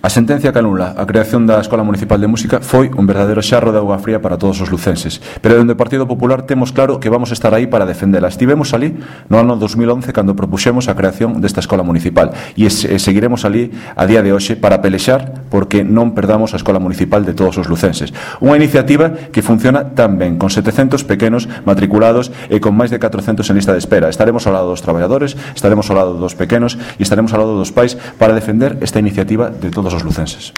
A sentencia que anula a creación da Escola Municipal de Música foi un verdadeiro xarro de auga fría para todos os lucenses, pero dende o Partido Popular temos claro que vamos estar aí para defendela. Estivemos ali no ano 2011 cando propuxemos a creación desta Escola Municipal e seguiremos ali a día de hoxe para pelexar porque non perdamos a Escola Municipal de todos os lucenses. Unha iniciativa que funciona tan ben, con 700 pequenos matriculados e con máis de 400 en lista de espera. Estaremos ao lado dos traballadores, estaremos ao lado dos pequenos e estaremos ao lado dos pais para defender esta iniciativa de todos os lucenses.